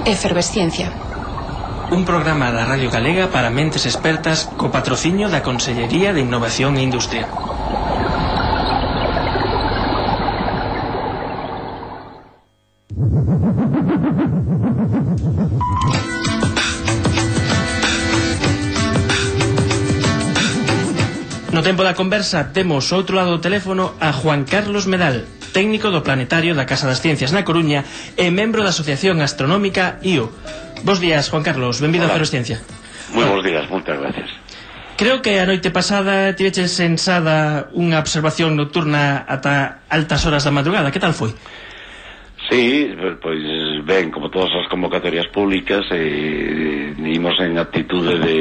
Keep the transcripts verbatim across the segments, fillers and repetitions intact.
Efervesciencia. Un programa da Radio Galega para mentes expertas co patrocinio da Consellería de Innovación e Industria. No tempo da conversa temos outro lado do teléfono a Juan Carlos Medal, técnico do Planetario da Casa das Ciencias na Coruña e membro da Asociación Astronómica I O. Bos días, Juan Carlos, benvido a Efervesciencia. Moi bons días, moitas gracias. Creo que a noite pasada tiveches sensada unha observación nocturna ata altas horas da madrugada. Que tal foi? Sí, pois ben, como todas as convocatorias públicas, eh, imos en actitude de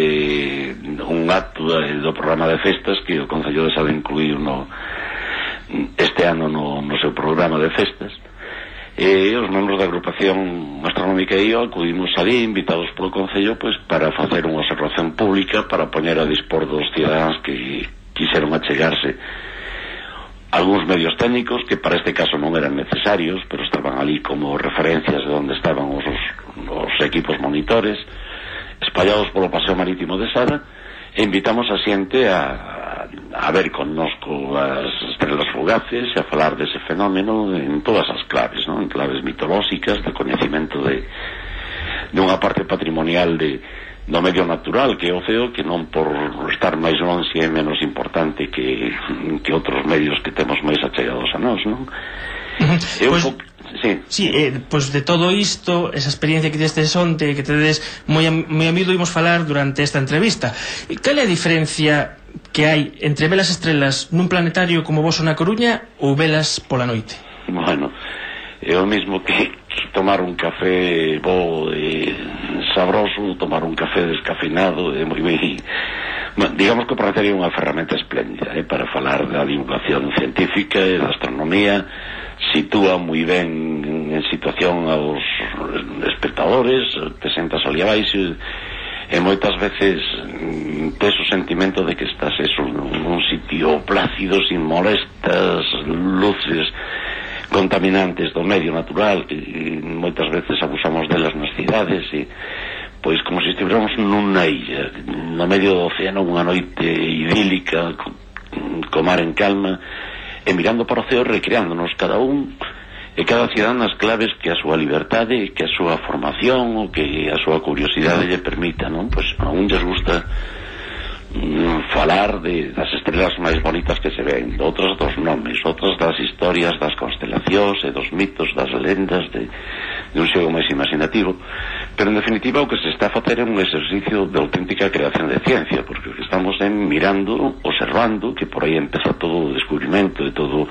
un acto do programa de festas que o Concello de Sade incluíu no, este ano no, no seu programa de festas. E os membros da agrupación astronómica I O acudimos ali, invitados polo Concello, pois, para facer unha observación pública para poñer a dispor dos cidadáns que quixeron achegarse algúns medios técnicos que para este caso non eran necesarios, pero estaban ali como referencias de onde estaban os, os equipos monitores espallados polo paseo marítimo de Sada, e invitamos a xente a, a ver connosco as estrelas fugaces e a falar dese fenómeno en todas as claves, non? En claves mitolóxicas, de coñecemento de, de unha parte patrimonial de do medio natural que é o ceo, que non por estar máis lonxe é menos importante que, que outros medios que temos máis achegados a nós, non? Uh-huh. Eu, pues, sí, sí eh, pois pues de todo isto, esa experiencia que testes onte, que tedes moi, moi amido, imos falar durante esta entrevista. Cal é a diferencia que hai entre velas estrelas nun planetario como vos na Coruña ou velas pola noite? Bueno, é o mismo que tomar un café bo e sabroso, tomar un café descafeinado, é moi ben. Digamos que o planetario é unha ferramenta espléndida, eh, para falar da divulgación científica e da astronomía. Sitúa moi ben en situación aos espectadores, presentas ali abaixo e moitas veces tes o sentimento de que estás eso nun sitio plácido, sin molestas luces contaminantes do medio natural, que moitas veces abusamos delas nas cidades, e pois como se estiveramos nunha illa no medio do océano, unha noite idílica co, co mar en calma, e mirando para o ceo, recreándonos cada un e cada cidadán nas claves que a súa liberdade, que a súa formación ou que a súa curiosidade lle permita, non? Pois a un lles gusta falar de, das estrelas máis bonitas que se ven, outras dos nomes, outras das historias das constelacións e dos mitos, das lendas de, de un xogo máis imaginativo, pero en definitiva o que se está a facer é un exercicio de auténtica creación de ciencia, porque o que estamos é mirando, observando, que por aí empeza todo o descubrimento e todo,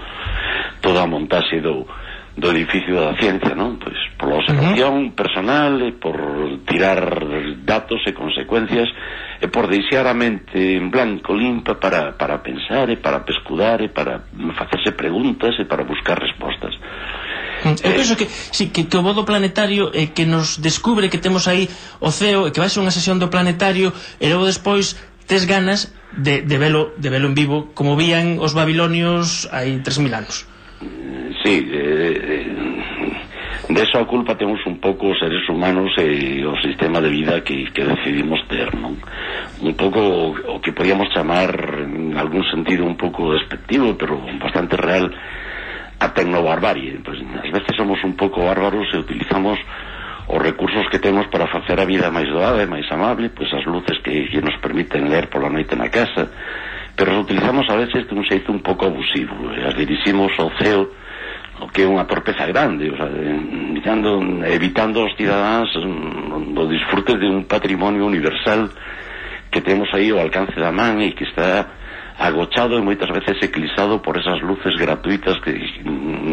toda a montaxe do do edificio da ciencia, non? Pois por la observación uh-huh. personal e por tirar datos e consecuencias e por deixar a mente en blanco, limpa para, para pensar e para pescudar e para facerse preguntas e para buscar respostas. Eu eh, penso que, sí, que, que o bo do planetario é que nos descubre que temos aí o ceo e que vai ser unha sesión do planetario e logo despois tes ganas de, de, velo, de velo en vivo como vían os babilonios hai tres mil anos. Sí, eh, de eso a culpa temos un pouco os seres humanos e o sistema de vida que, que decidimos ter, non? Un pouco o que podíamos chamar en algún sentido un pouco despectivo, pero bastante real, a tecnobarbarie. Pues, ás veces somos un pouco bárbaros e utilizamos os recursos que temos para facer a vida máis doada e máis amable, pois as luces que, que nos permiten ler pola noite na casa, pero as utilizamos a veces de un xeito un pouco abusivo, e as diriximos ao ceo, o que é unha torpeza grande, o sea, evitando, evitando os cidadáns do disfrute de un patrimonio universal que temos aí ao alcance da man e que está agochado e moitas veces eclipsado por esas luces gratuitas que,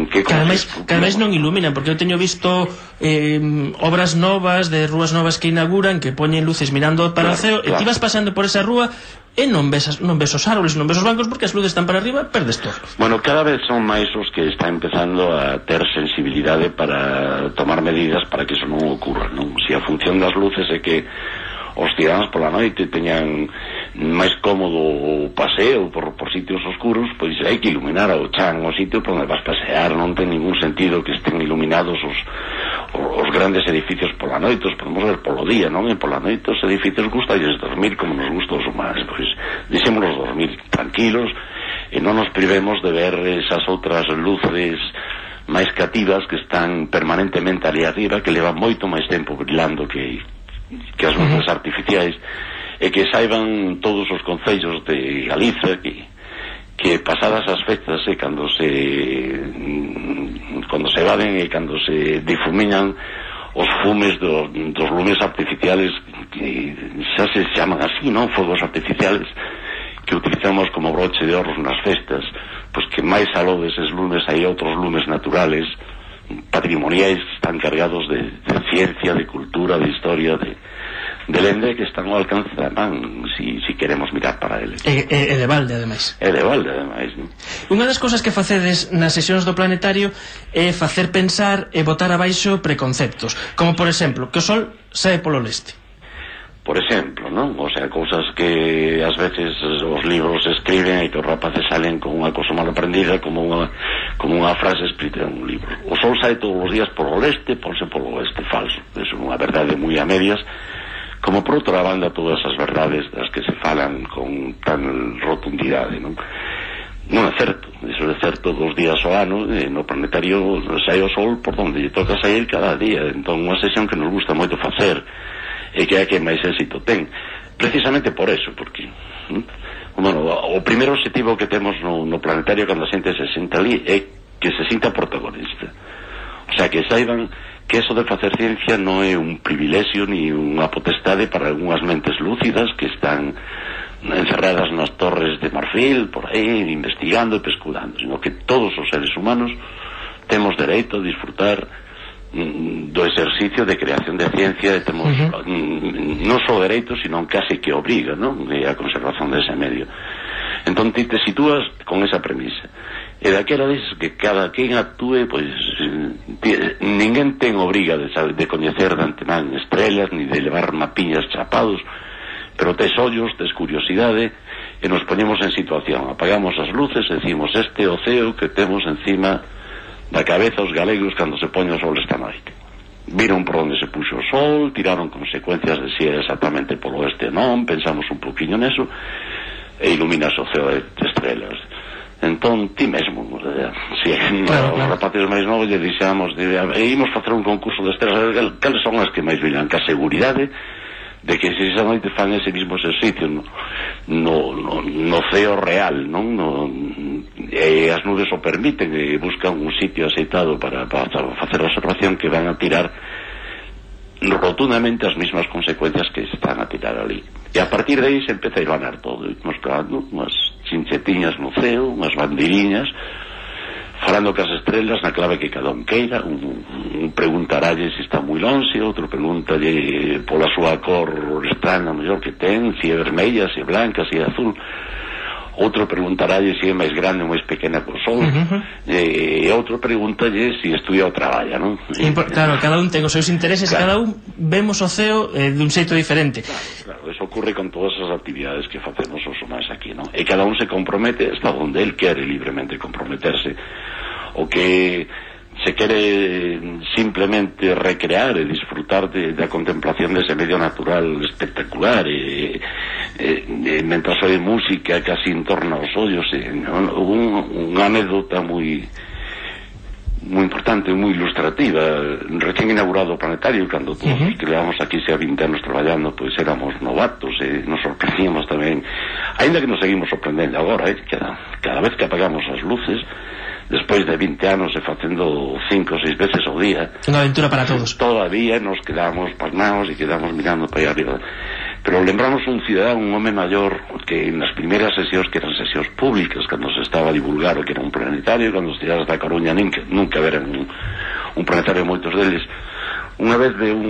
que cada vez non iluminan, porque eu teño visto eh, obras novas de rúas novas que inauguran, que poñen luces mirando para claro, o ceo, claro. E ti vas pasando por esa rúa e non ves, non ves os árboles, non ves os bancos, porque as luces están para arriba, perdes todo. Bueno, cada vez son máis os que están empezando a ter sensibilidade para tomar medidas para que eso non ocurra, non? Se a función das luces é que os cidadáns pola noite teñan máis cómodo o paseo por, por sitios oscuros, pois hai que iluminar ao chan o sitio por onde vas pasear. Non ten ningún sentido que estén iluminados os, os grandes edificios pola noite os podemos ver polo día, non? E pola noite os edificios gustalles dormir como nos gusta os humanos, pois deixémonos dormir tranquilos e non nos privemos de ver esas outras luces máis cativas que están permanentemente ali arriba, que levan moito máis tempo brilando que, que as luces artificiais, e que saiban todos os concellos de Galiza que que pasadas as fechas e cando se cando se evaden e cando se difuminan os fumes do, dos lumes artificiales que xa se chaman así, non? Fogos artificiales que utilizamos como broche de oros nas festas, pois que máis aló deses lumes hai outros lumes naturales patrimoniais que están cargados de, de ciencia, de cultura, de historia, de de lende que están ao alcance da man si, si queremos mirar para eles. E, e, e de balde, ademais. E de balde, ademais, non? Unha das cousas que facedes nas sesións do Planetario é facer pensar e botar abaixo preconceptos, como por exemplo, que o sol sae polo leste. Por exemplo, non? O sea, cousas que ás veces os libros escriben e que os rapaces salen con unha cosa mal aprendida, como unha, como unha frase escrita en un libro. O sol sae todos os días polo leste, ponse polo oeste, falso. É unha verdade moi a medias, como por outra banda todas as verdades das que se falan con tan rotundidade, non? Non é certo, iso é certo dos días ao ano, e no Planetario sai o sol por onde lle toca sair cada día, entón unha sesión que nos gusta moito facer e que é a que máis éxito ten, precisamente por eso, porque hm? bueno, o primeiro objetivo que temos no, no Planetario cando a xente se senta ali é que se sinta protagonista, o sea, que saiban que eso de facer ciencia non é un privilexio ni unha potestade para algunhas mentes lúcidas que están encerradas nas torres de marfil por aí, investigando e pesculando, sino que todos os seres humanos temos dereito a disfrutar mm, do exercicio de creación de ciencia e temos uh -huh. mm, non só dereito, sino casi que obriga, non? E a conservación dese medio. Entón ti te sitúas con esa premisa. E daquela dices que cada quen actúe, pois ninguén ten obriga de, saber, de coñecer de antemán estrellas ni de levar mapiñas chapados, pero tes ollos, tes curiosidade e nos poñemos en situación, apagamos as luces e decimos este oceo que temos encima da cabeza os galegos cando se poñe o sol esta noite. Viron por onde se puxo o sol, tiraron consecuencias de si era exactamente polo oeste non, pensamos un poquinho neso e iluminas o ceo de estrelas. Entón, ti mesmo, si claro, os claro. rapaces máis novos lle dixamos de, e imos facer un concurso de estrelas, cales son as que máis brillan, que a seguridade de que se esa noite fan ese mismo exercicio no, no, no, no ceo real, non? No, e as nubes o permiten e buscan un sitio aceitado para, para facer a observación que van a tirar rotundamente as mismas consecuencias que están a tirar ali. E a partir de aí se empeza a iluminar todo, nos clavando unhas chinchetiñas no ceo, unhas bandiriñas, falando cas estrelas na clave que cada un queira, un, un preguntaralle se está moi lonxe, outro preguntalle pola súa cor estrana mellor que ten, se é vermella, se é blanca, se é azul, outro preguntaralle se é máis grande ou máis pequena que o sol, uh -huh. e, e outro preguntalle se estudia ou traballa, non? Impor claro, cada un ten os seus intereses, claro. E cada un vemos o ceo eh, dun xeito diferente. Claro, claro, eso ocurre con todas as actividades que facemos os humanos aquí, non? E cada un se compromete hasta onde el quere libremente comprometerse, o que se quere simplemente recrear e disfrutar de, da contemplación dese medio natural espectacular e, e, e mentras oe música casi en torno aos ollos e, un, unha anécdota moi moi importante, moi ilustrativa. Recén inaugurado o Planetario, cando todos uh -huh. os que levamos aquí xa vinte anos traballando, pois éramos novatos e nos sorprendíamos tamén, ainda que nos seguimos sorprendendo agora, eh, cada, cada vez que apagamos as luces despois de vinte anos e facendo cinco ou seis veces ao día, unha aventura para todos, todavía nos quedamos pasmados e quedamos mirando para aí arriba. Pero lembramos un cidadán, un home maior, que nas primeiras sesións, que eran sesións públicas, cando se estaba a divulgar o que era un planetario, cando os cidadás da Coruña nunca, nunca veran un, un planetario, moitos deles, unha vez de un,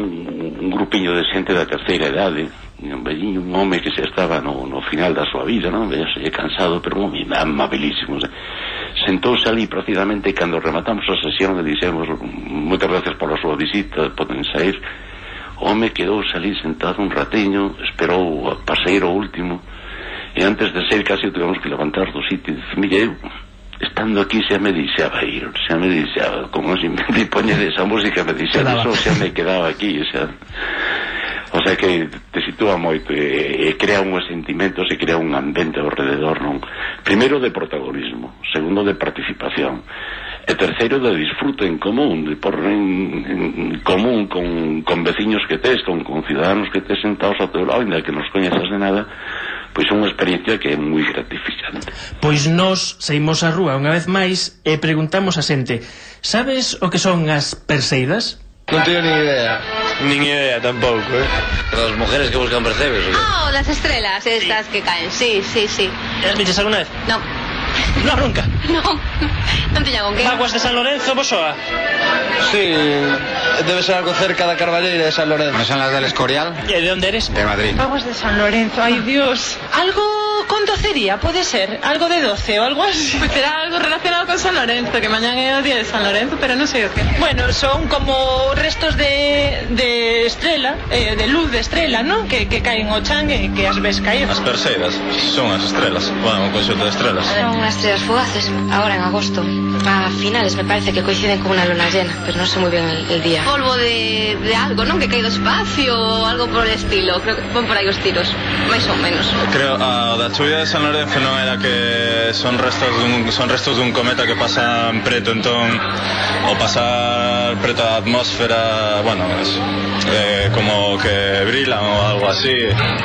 un grupiño de xente da terceira idade, un velliño, un home que xa estaba no, no final da súa vida, non? Vease cansado, pero un home amabilísimo, sentouse ali precisamente, e cando rematamos a sesión e dixemos moitas gracias pola súa visita, poden sair, o home quedouse ali sentado un ratiño, esperou a paseiro último, e antes de sair casi o tivemos que levantar do sitio e dice, mire, eu estando aquí xa me deixaba ir, xa me deixaba, como se me poñe esa música me deixaba, eso xa me quedaba aquí, xa. O sea que te sitúa moito e, e crea uns sentimentos e crea un ambiente ao rededor, non? Primeiro de protagonismo, segundo de participación, e terceiro de disfrute en común, de por en, en común con, con veciños que tes, con, con ciudadanos que tes sentados ao teu lado, ainda que nos coñezas de nada, pois é unha experiencia que é moi gratificante. Pois nós saímos á rúa unha vez máis e preguntamos a xente: sabes o que son as perseidas? Non teño ni idea. Nin idea tampouco, eh? Las mujeres que buscan percebes, ¿o qué? Ah, oh, las estrellas estas sí. que caen, sí, sí, sí. ¿Las viches alguna vez? No. No, nunca? No, non tiña con que. Aguas de San Lorenzo, vos soa? Sí, debe ser algo cerca da Carballeira de San Lorenzo. ¿No son las del Escorial? ¿Y de dónde eres? De Madrid. Aguas de San Lorenzo, ay Dios. Algo con docería, puede ser. Algo de doce o algo así. Pues será algo relacionado con San Lorenzo, que mañana é o día de San Lorenzo, pero non sei o que. Bueno, son como restos de, de estrela, eh, de luz de estrela, ¿no? Que, que caen ao chan e que as ves caer. As perseidas son as estrelas, bueno, un conxunto de estrelas. Son unas estrellas fugaces, ahora en agosto. A finales me parece que coinciden con una luna llena, pero no sé muy bien el, el día. Polvo de, de algo, ¿no? Que cae do espacio o algo por el estilo. Creo que van por aí os tiros, máis ou menos. Creo a da chuvia de San Lorenzo non era que son restos dun, son restos dun cometa que pasa en preto, entón o pasar preto a atmósfera, bueno, es, eh, como que brilan ou algo así.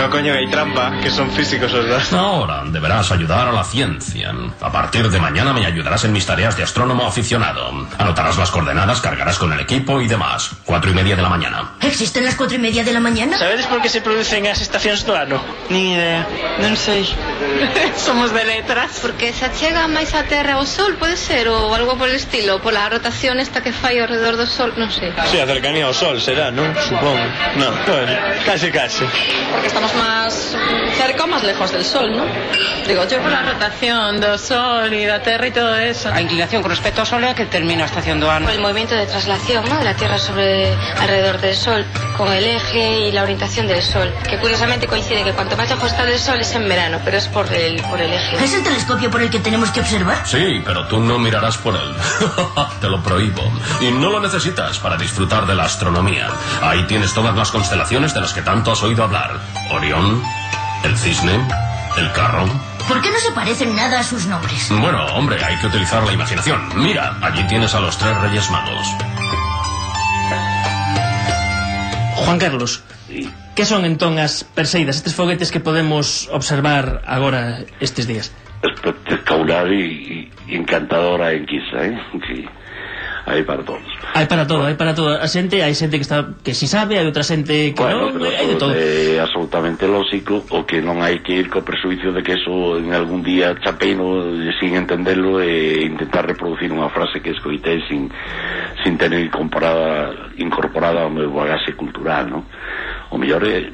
No, coño, hai trampa, que son físicos os dos. Ahora deberás ayudar a la ciencia. A partir de mañana me ayudarás en mis tareas de astrónomo aficionado. Anotarás las coordenadas, cargarás con el equipo y demás. Cuatro y media de la mañana. ¿Existen las cuatro y media de la mañana? Sabedes por que se producen as estacións do ano? Ni idea, non sei. Somos de letras. Porque se achega máis a Terra ao Sol, pode ser, ou algo por el estilo, pola rotación esta que fai ao redor do Sol, non sei. Sí, a cercanía ao Sol será, non? Supongo. No, bueno, casi casi. Porque estamos más cerca o más lejos del Sol, ¿no? Digo yo. Por la rotación do Sol e da Terra e todo eso. A inclinación con respecto ao Sol é a que termina a estación do ano. Por el movimiento de traslación, ¿no? De la Tierra sobre alrededor del Sol, con el eje y la orientación del Sol, que curiosamente coincide que cuanto más lejos está del Sol es en verano, pero es por el, por el eje. ¿Es el telescopio por el que tenemos que observar? Sí, pero tú no mirarás por él. Te lo prohíbo. Y no lo necesitas para disfrutar de la astronomía. Ahí tienes todas las constelaciones de las que tanto has oído hablar. Orión, el Cisne, el Carro. ¿Por qué no se parecen nada a sus nombres? Bueno, hombre, hay que utilizar la imaginación. Mira, allí tienes a los tres Reyes Magos. Juan Carlos, que son entón as perseidas, estes foguetes que podemos observar agora estes días? Espectacular e, e encantadora enquisa, eh? Que hai para todos. Hai para todo, hai para todo. A xente, hai xente que está que si sabe, hai outra xente que bueno, non, hai de todo. É absolutamente lógico, o que non hai que ir co presuicio de que eso en algún día chapeino sin entenderlo e intentar reproducir unha frase que escoitei sin sin tener incorporada incorporada ao meu bagaxe cultural, non? O mellor é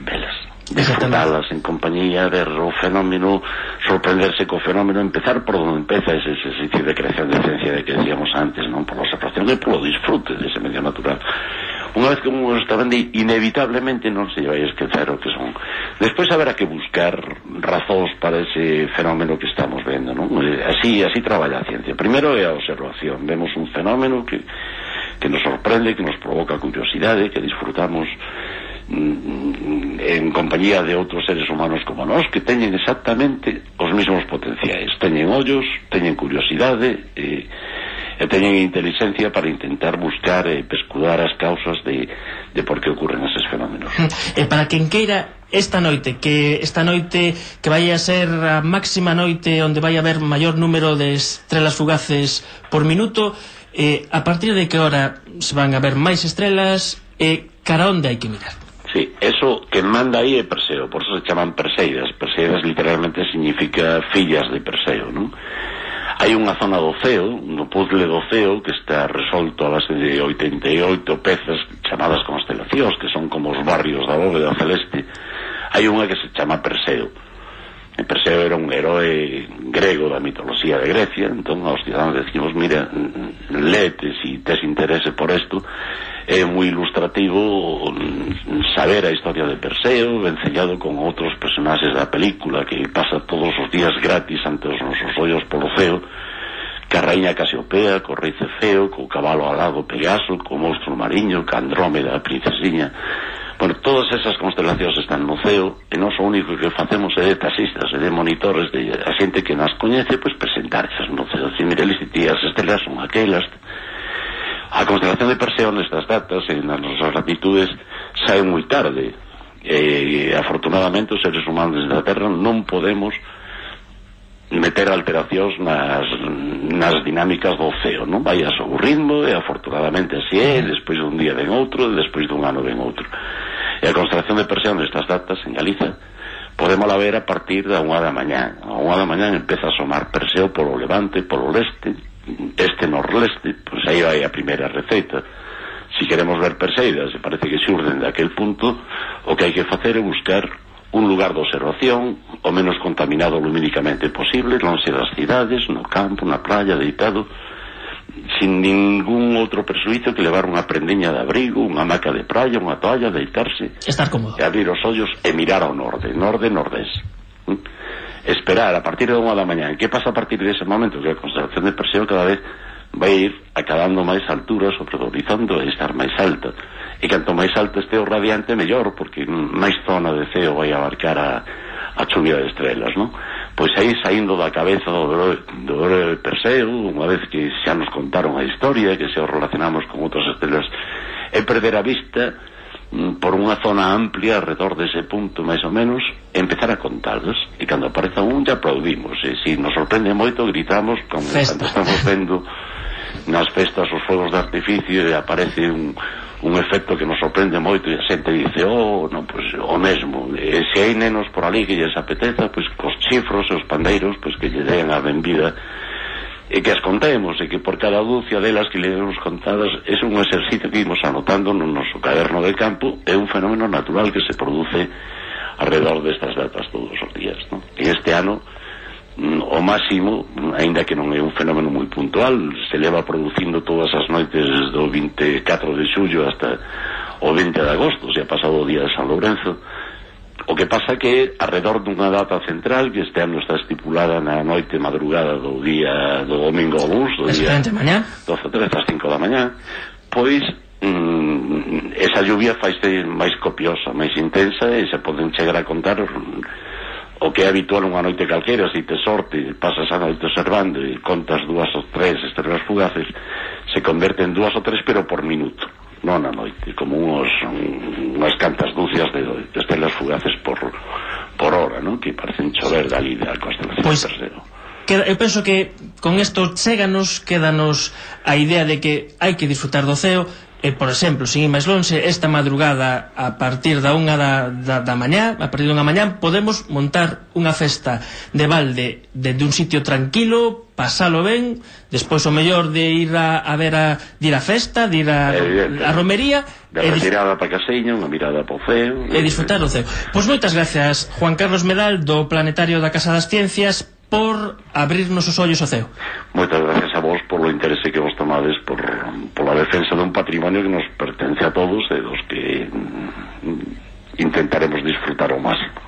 velas, disfrutalas en compañía, ver o fenómeno, sorprenderse co fenómeno, empezar por onde empeza ese exercicio de creación de ciencia de que decíamos antes, non? Por la observación e polo disfrute dese medio natural. Unha vez que un está vendo, inevitablemente non se vai esquecer o que son. Despois haberá que buscar razóns para ese fenómeno que estamos vendo, non? Así, así traballa a ciencia. Primeiro é a observación. Vemos un fenómeno que, que nos sorprende, que nos provoca curiosidade, que disfrutamos en compañía de outros seres humanos como nós, que teñen exactamente os mesmos potenciais. Teñen ollos, teñen curiosidade e, e teñen inteligencia para intentar buscar e pescudar as causas de, de por que ocurren eses fenómenos. E para quen queira esta noite, que esta noite que vai a ser a máxima noite onde vai haber maior número de estrelas fugaces por minuto, eh, a partir de que hora se van a ver máis estrelas e cara onde hai que mirar? Sí, eso que manda aí é Perseo, por eso se chaman Perseidas. Perseidas literalmente significa fillas de Perseo, non? Hai unha zona do ceo, no puzzle do ceo, que está resolto a base de oitenta e oito pezas chamadas constelacións, que son como os barrios da bóveda celeste. Hai unha que se chama Perseo. E Perseo era un heroe grego da mitoloxía de Grecia, entón aos ciudadanos decimos, mira, lete si tes interese por isto, é moi ilustrativo saber a historia de Perseo vencellado con outros personaxes da película que pasa todos os días gratis ante os nosos ollos polo ceo, ca raíña Casiopea, co rei Cefeo, co cabalo alado Pegaso, co monstro mariño, ca Andrómeda, a princesiña. Bueno, todas esas constelacións están no ceo e non o único que facemos é de taxistas e de monitores de a xente que nas coñece, pois presentarxas no ceo. Si, mire, as estelas son aquelas. A constelación de Perseo nestas datas e nas nosas latitudes sae moi tarde e afortunadamente os seres humanos da Terra non podemos meter alteracións nas, nas dinámicas do ceo, non vai a seu ritmo e afortunadamente así é, despois dun día ven outro e despois dun ano ven outro. E a constelación de Perseo nestas datas en Galiza podemos la ver a partir da unha da mañá. A unha da mañá empeza a asomar Perseo polo levante, polo leste, este norleste, pois aí vai a primeira receita. Si queremos ver Perseidas, e parece que xurden daquel punto, o que hai que facer é buscar un lugar de observación o menos contaminado lumínicamente posible, lonxe das cidades, no campo, na playa, deitado, sin ningún outro presuizo que levar unha prendiña de abrigo, unha hamaca de praia, unha toalla, deitarse, estar cómodo, e abrir os ollos e mirar ao norte, norde-nordés. Esperar a partir de unha da mañá. Que pasa a partir dese momento? Que a constelación de Perseo cada vez vai ir acabando máis altura sobre o horizonte e estar máis alta, e canto máis alta este o radiante mellor, porque máis zona de ceo vai abarcar a, a chuvia de estrelas, non? Pois aí saindo da cabeza do do de Perseo, unha vez que xa nos contaron a historia, que xa o relacionamos con outras estrelas, é perder a vista por unha zona amplia alrededor dese punto máis ou menos, empezar a contalos, e cando apareza un ya aplaudimos, e se nos sorprende moito gritamos como cando estamos vendo nas festas os fogos de artificio e aparece un, un efecto que nos sorprende moito e a xente dice, oh, non, pois o mesmo, e se hai nenos por ali que lles apeteza, pois cos chifros e os pandeiros, pois que lle den a benvida e que as contemos, e que por cada dúcia delas que le demos contadas é un exercicio que imos anotando no noso caderno de campo, é un fenómeno natural que se produce alrededor destas datas todos os días, non? E este ano o máximo, aínda que non é un fenómeno moi puntual, se leva producindo todas as noites do vinte e catro de xullo hasta o vinte de agosto, se ha pasado o día de San Lourenzo. O que pasa que alrededor dunha data central que este ano está estipulada na noite madrugada do día do domingo ao luns, do día doce trece ás cinco da mañá, pois mm, esa lluvia faise máis copiosa, máis intensa, e se poden chegar a contar o que é habitual unha noite calquera. Se te sorte, pasas a noite observando e contas dúas ou tres estrelas fugaces, se converte en dúas ou tres, pero por minuto, non a noite, como unos, unhas cantas dúcias de, de estrelas fugaces por, por hora, non? Que parecen chover dali da constelación pues, de Perseo. Queda, eu penso que con isto chéganos, quédanos a idea de que hai que disfrutar do ceo. E, por exemplo, sin ir máis lonxe, esta madrugada a partir da unha da, da, da mañá, a partir dunha mañá podemos montar unha festa de balde dende un sitio tranquilo, pasalo ben, despois o mellor de ir a, a ver a, de ir a festa, de ir a, a romería, de retirada para Casiño, unha mirada po ceo e disfrutar do ceo. Pois moitas gracias, Juan Carlos Medal, do Planetario da Casa das Ciencias, por abrirnos os ollos ao ceo. Moitas gracias a vos polo interese que vos tomades por, por la defensa dun patrimonio que nos pertence a todos e dos que intentaremos disfrutar ao máximo.